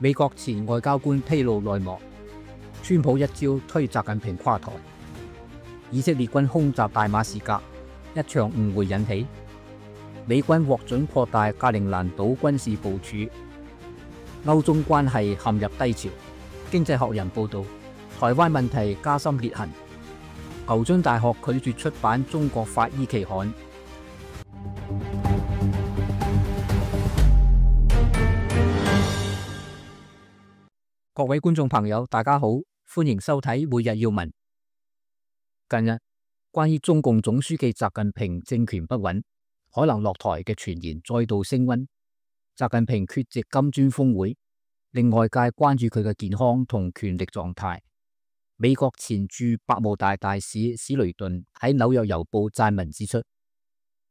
美國前外交官披露內幕，川普一招推習近平垮台。以色列軍空襲大馬士革，一場誤會引起。美軍獲准擴大格陵蘭島軍事部署。歐中關係陷入低潮。經濟學人報道，台灣問題加深裂痕。牛津大學拒絕出版中國法醫期刊。各位觀眾朋友，大家好，歡迎收睇每日要聞。近日，關於中共總書記習近平政權不穩，可能落台嘅傳言再度升溫。習近平缺席金磚峰會，令外界關注佢嘅健康同權力狀態。美國前駐百慕大大使史雷頓喺紐約郵報撰文指出，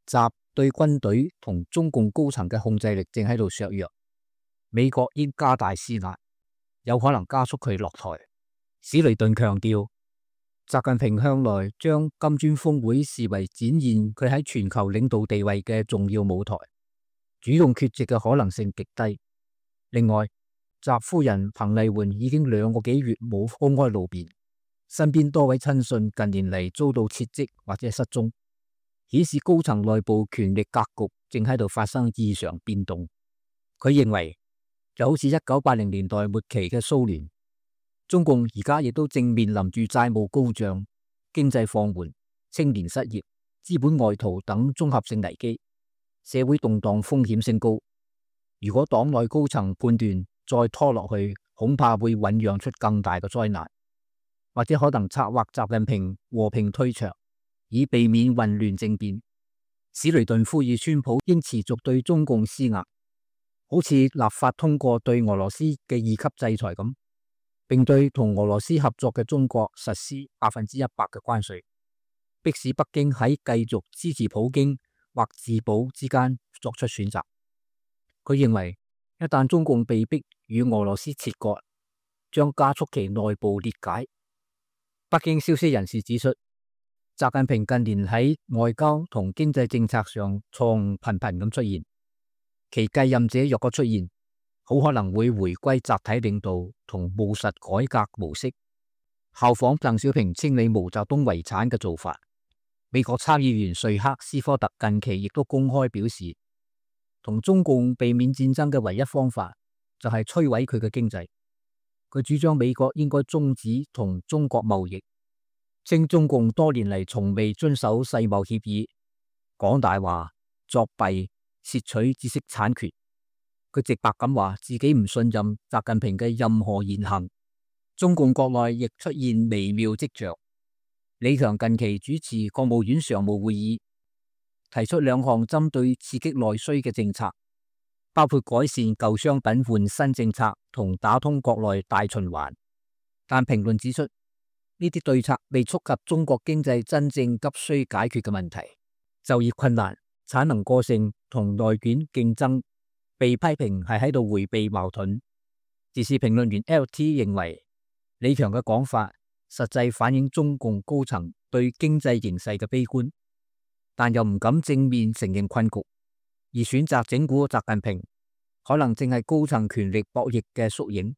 習對軍隊同中共高層嘅控制力正喺度削弱，美國應加大施壓，有可能加速佢落台。史雷頓強調，習近平向來將金磚峰會視為展現佢喺全球領導地位嘅重要舞台，主動缺席嘅可能性極低。另外，習夫人彭麗媛已經2個幾月冇公開露面，身邊多位親信近年嚟遭到撤職或者失蹤，顯示高層內部權力格局正喺度發生異常變動。佢認為，就好似1980年代末期嘅蘇聯，中共而家亦都正面臨住債務高漲、經濟放緩、青年失業、資本外逃等綜合性危機，社會動盪風險升高。如果黨內高層判斷再拖落去，恐怕會醞釀出更大嘅災難，或者可能策劃習近平和平退場，以避免混亂政變。史雷頓呼籲川普應持續對中共施壓，好似立法通過對俄羅斯嘅2級制裁咁，並對同俄羅斯合作嘅中國實施100%嘅關稅，迫使北京喺繼續支持普京或自保之間作出選擇。佢認為，一旦中共被迫與俄羅斯切割，將加速其內部裂解。北京消息人士指出，習近平近年喺外交同經濟政策上錯誤頻頻咁出現。其繼任者若果出現，好可能會回歸集體領導同務實改革模式，效仿鄧小平清理毛澤東遺產嘅做法。美國參議員瑞克斯科特近期亦都公開表示，同中共避免戰爭嘅唯一方法就係摧毀佢嘅經濟。佢主張美國應該終止同中國貿易，稱中共多年嚟從未遵守世貿協議，講大話、作弊、竊取知識產權。佢直白咁話自己唔信任習近平嘅任何言行。中共國內亦出現微妙跡象。李強近期主持國務院常務會議，提出2項針對刺激內需嘅政策，包括改善舊商品換新政策同打通國內大循環。但評論指出，呢啲對策未觸及中國經濟真正急需解決嘅問題，就業困難、產能過剩同內卷競爭，被批評係喺度迴避矛盾。時事評論員 LT 認為，李強嘅講法實際反映中共高層對經濟形勢嘅悲觀，但又唔敢正面承認困局，而選擇整蠱習近平，可能正係高層權力博弈嘅縮影。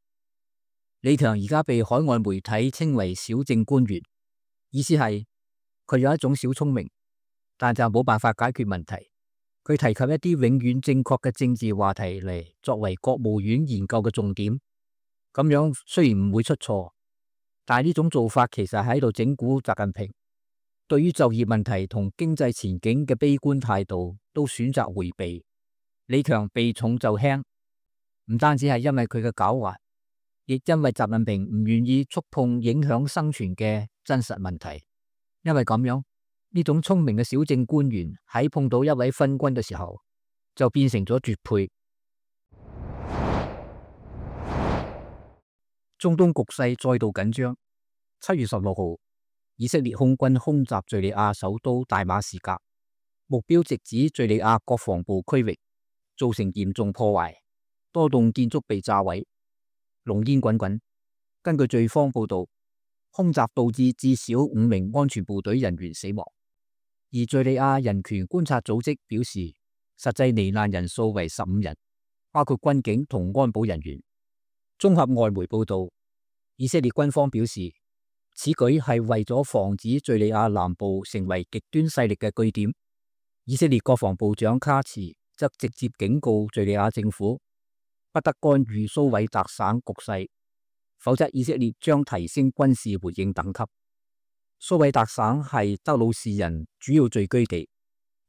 李強而家被海外媒體稱為小政官員，意思係佢有一種小聰明，但就冇辦法解決問題。佢提及一啲永遠正確嘅政治話題嚟作為國務院研究嘅重點，咁樣雖然唔會出錯，但係呢種做法其實喺度整蠱習近平。對於就業問題同經濟前景嘅悲觀態度都選擇迴避。李強避重就輕，唔單止係因為佢嘅狡猾，亦因為習近平唔願意觸碰影響生存嘅真實問題。因為咁樣，呢種聰明嘅小政官員喺碰到一位昏君嘅時候，就變成咗絕配。中東局勢再度緊張。7月16號，以色列空軍空襲敘利亞首都大馬士革，目標直指敘利亞國防部區域，造成嚴重破壞，多棟建築被炸毀，濃煙滾滾。根據敘方報道，空襲導致至少5名安全部隊人員死亡，而敘利亞人權觀察組織表示，實際罹難人數為15人，包括軍警同安保人員。綜合外媒報道，以色列軍方表示，此舉係為咗防止敘利亞南部成為極端勢力嘅據點。以色列國防部長卡茨則直接警告敘利亞政府，不得干預蘇韋特省局勢，否則以色列將提升軍事回應等級。蘇韋特省係德魯士人主要聚居地，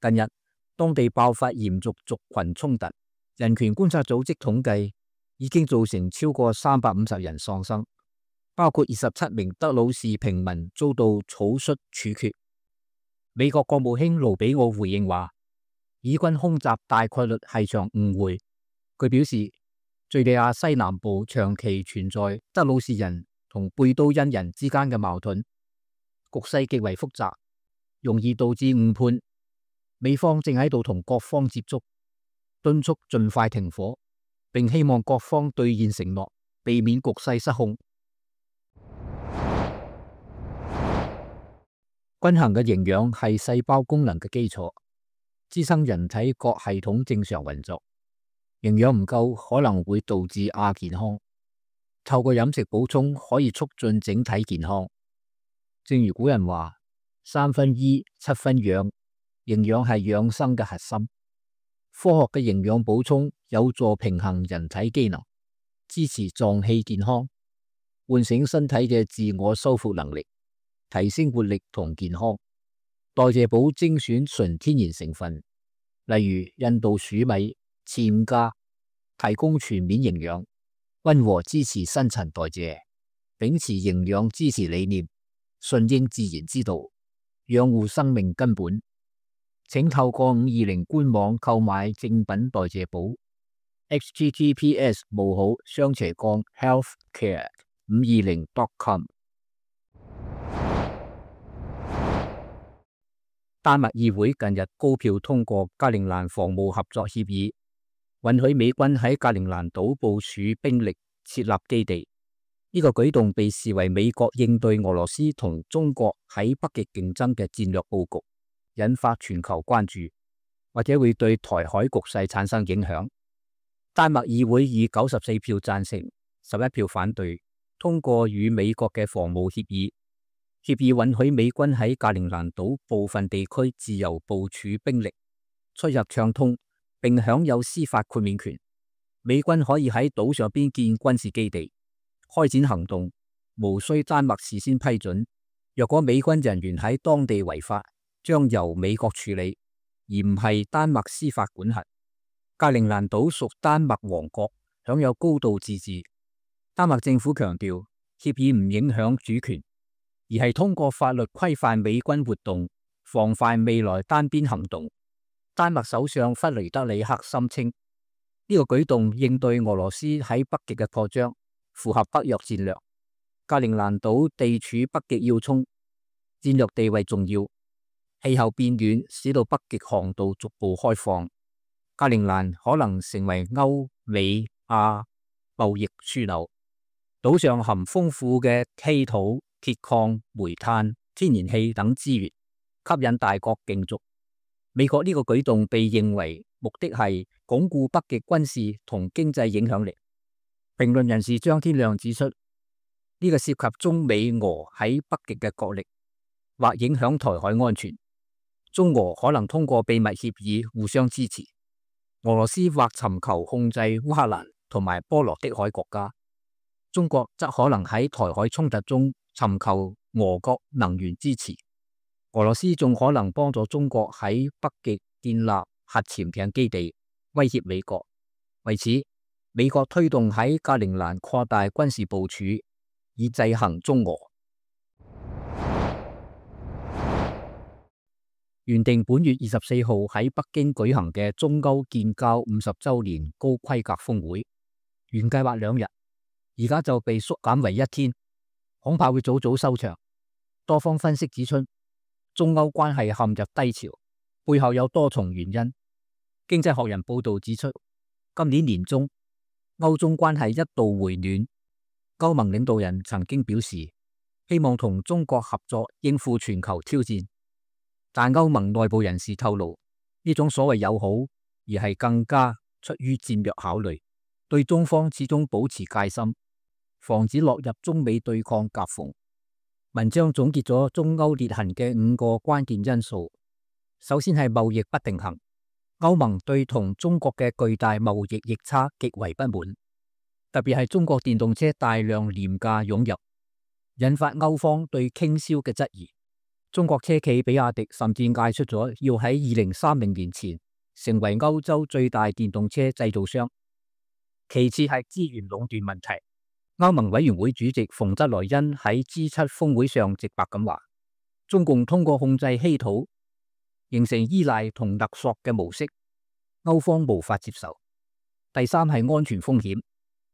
近日當地爆發嚴重族群衝突，人權觀察組織統計已經造成超過350人喪生，包括27名德魯士平民遭到草率處決。美國國務卿盧比奧回應話，以軍空襲大概率係場誤會。佢表示，敘利亞西南部長期存在德魯士人同貝都因人之間嘅矛盾，局勢極為複雜，容易導致誤判。美方正喺度同各方接觸，敦促盡快停火，並希望各方兌現承諾，避免局勢失控。均衡嘅營養係細胞功能嘅基礎，支撐人體各系統正常運作。營養唔夠可能會導致亞健康，透過飲食補充可以促進整體健康。正如古人話：3分醫，7分養，營養係養生嘅核心。科學嘅營養補充有助平衡人體機能，支持臟器健康，喚醒身體嘅自我修復能力，提升活力同健康。代謝寶精選純天然成分，例如印度黍米、暹茄，提供全面營養，溫和支持新陳代謝，秉持營養支持理念，順應自然之道，養護生命根本。請透過520官網購買正品代謝寶 https://healthcare520.com。丹麥議會近日高票通過格陵蘭防務合作協議，允許美軍喺格陵蘭島部署兵力設立基地。呢個舉動被視為美國應對俄羅斯同中國喺北極競爭嘅戰略佈局，引發全球關注，或者會對台海局勢產生影響。丹麥議會以94票贊成、11票反對通過與美國嘅防務協議。協議允許美軍喺格陵蘭島部分地區自由部署兵力，出入暢通，並享有司法豁免權。美軍可以喺島上邊建軍事基地，開展行動，無需丹麥事先批准。若果美軍人員喺當地違法，將由美國處理，而唔係丹麥司法管轄。格陵蘭島屬丹麥王國，享有高度自治。丹麥政府強調，協議唔影響主權，而係通過法律規範美軍活動，防範未來單邊行動。丹麥首相弗雷德里克聲稱，呢個舉動應對俄羅斯喺北極嘅擴張，符合北約戰略。格陵蘭島地處北極要衝，戰略地位重要。氣候變暖使到北極航道逐步開放，格陵蘭可能成為歐美亞貿易樞紐。島上含豐富嘅稀土、鐵礦、煤炭、天然氣等資源，吸引大國競逐。美國呢個舉動被認為目的係鞏固北極軍事同經濟影響力。評論人士張天亮指出，呢個涉及中美俄喺北極嘅角力，或影響台海安全。中俄可能通過秘密協議互相支持，俄羅斯或尋求控制烏克蘭同埋波羅的海國家，中國則可能喺台海衝突中尋求俄國能源支持。俄羅斯仲可能幫助中國喺北極建立核潛艇基地，威脅美國。為此，美國推動喺格陵蘭擴大軍事部署，以制衡中俄。原定本月24號喺北京舉行嘅中歐建交50週年高規格峰會，原計劃2日，而家就被縮減為1天，恐怕會早早收場。多方分析指出，中歐關係陷入低潮，背後有多重原因。經濟學人報道指出，今年年中，歐中關係一度回暖。歐盟領導人曾經表示，希望同中國合作應付全球挑戰。但歐盟內部人士透露，呢種所謂友好，而係更加出於戰略考慮，對中方始終保持戒心，防止落入中美對抗夾縫。文章總結咗中歐裂痕嘅5個關鍵因素。首先係貿易不平衡，歐盟對同中國嘅巨大貿易逆差極為不滿，特別係中國電動車大量廉價湧入，引發歐方對傾銷嘅質疑。中國車企比亞迪甚至嗌出咗要喺2030年前成為歐洲最大電動車製造商。其次係資源壟斷問題。歐盟委員會主席馮德萊恩喺 G7 峰會上直白咁話，中共通過控制稀土，形成依賴同勒索嘅模式，歐方無法接受。第三係安全風險。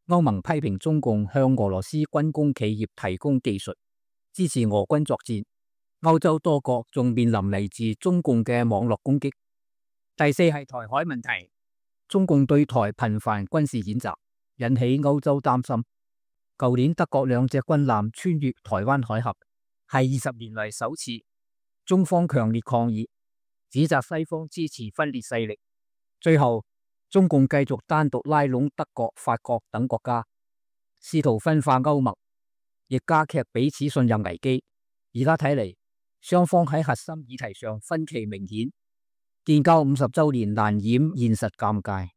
歐盟批評中共向俄羅斯軍工企業提供技術，支持俄軍作戰。歐洲多國仲面臨嚟自中共嘅網絡攻擊。第四係台海問題。中共對台頻繁軍事演習，引起歐洲擔心。舊年德國2隻軍艦穿越台灣海峽，係20年嚟首次。中方強烈抗議，指責西方支持分裂勢力。最後，中共繼續單獨拉攏德國、法國等國家，試圖分化歐盟，亦加劇彼此信任危機。而家睇嚟，雙方喺核心議題上分歧明顯，建交50週年難掩現實尷尬。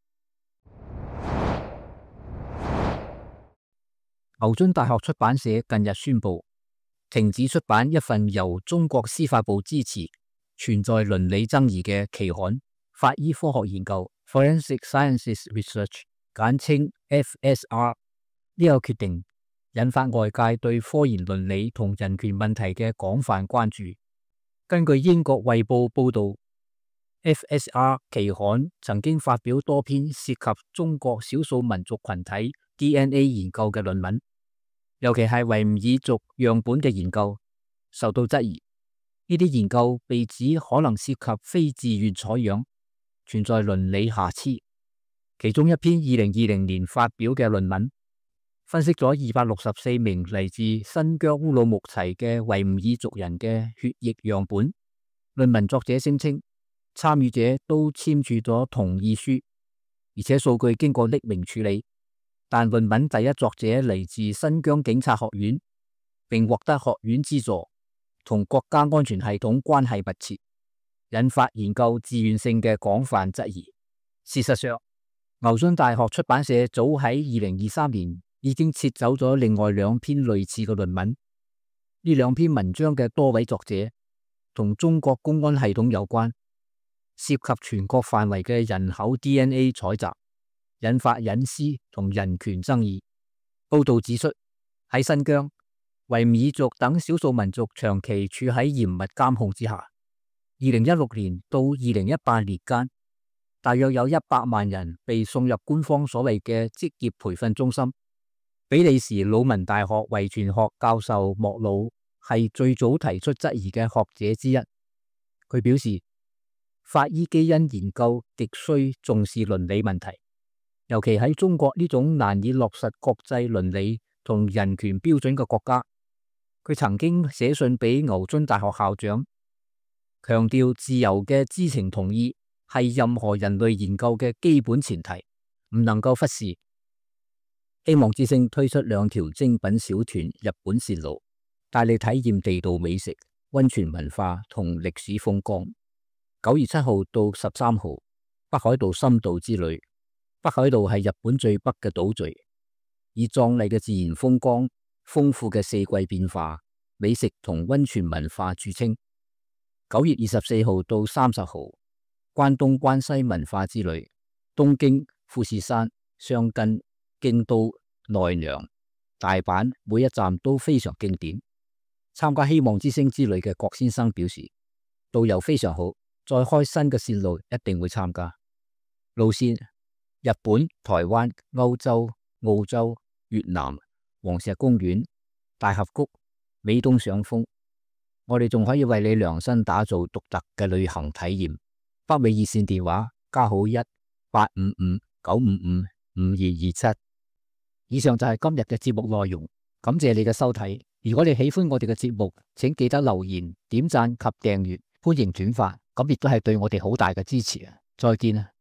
牛津大學出版社近日宣布停止出版一份由中國司法部支持、存在倫理爭議嘅期刊《法醫科學研究》（Forensic Sciences Research），簡稱 FSR。呢個決定引發外界對科研倫理同人權問題嘅廣泛關注。根據英國《衛報》報道，FSR 期刊曾經發表多篇涉及中國少數民族群體 DNA 研究嘅論文，尤其係維吾爾族樣本嘅研究受到質疑。呢啲研究被指可能涉及非自願採樣，存在倫理瑕疵。其中一篇2020年發表嘅論文，分析咗264名嚟自新疆烏魯木齊嘅維吾爾族人嘅血液樣本。論文作者聲稱，參與者都簽署咗同意書，而且數據經過匿名處理。但論文第一作者嚟自新疆警察學院，並獲得學院資助，同國家安全系統關係密切，引發研究自願性嘅廣泛質疑。事實上，牛津大學出版社早喺2023年已經撤走咗另外2篇類似嘅論文。呢2篇文章嘅多位作者同中國公安系統有關，涉及全國範圍嘅人口 DNA 採集，引發隱私同人權爭議。報道指出，喺新疆、維吾爾族等少數民族長期處喺嚴密監控之下。2016年到2018年間，大約有100萬人被送入官方所謂嘅職業培訓中心。比利時魯汶大學遺傳學教授莫魯係最早提出質疑嘅學者之一。佢表示，法醫基因研究極需重視倫理問題，尤其喺中國呢種難以落實國際倫理同人權標準嘅國家。佢曾經寫信俾牛津大學校長，強調自由嘅知情同意係任何人類研究嘅基本前提，唔能夠忽視。希望之星推出2條精品小團日本線路，帶你體驗地道美食、溫泉文化同歷史風光。9月7號到13號，北海道深度之旅。北海道係日本最北嘅島嶼，以壯麗嘅自然風光、豐富嘅四季變化、美食同溫泉文化著稱。9月24號到30號，關東關西文化之旅。東京、富士山、箱根、京都、奈良、大阪每一站都非常經典。參加希望之星之旅嘅郭先生表示，導遊非常好，再開新嘅線路一定會參加。路線：日本、台灣、歐洲、澳洲、越南、黃石公園、大峽谷、美東賞楓。我哋仲可以為你量身打造獨特嘅旅行體驗。北美熱線電話+1-855-955-5227。以上就係今日嘅節目內容，感謝你嘅收睇。如果你喜歡我哋嘅節目，請記得留言、點讚及訂閱，歡迎轉發，咁亦都係對我哋好大嘅支持啊！再見啊！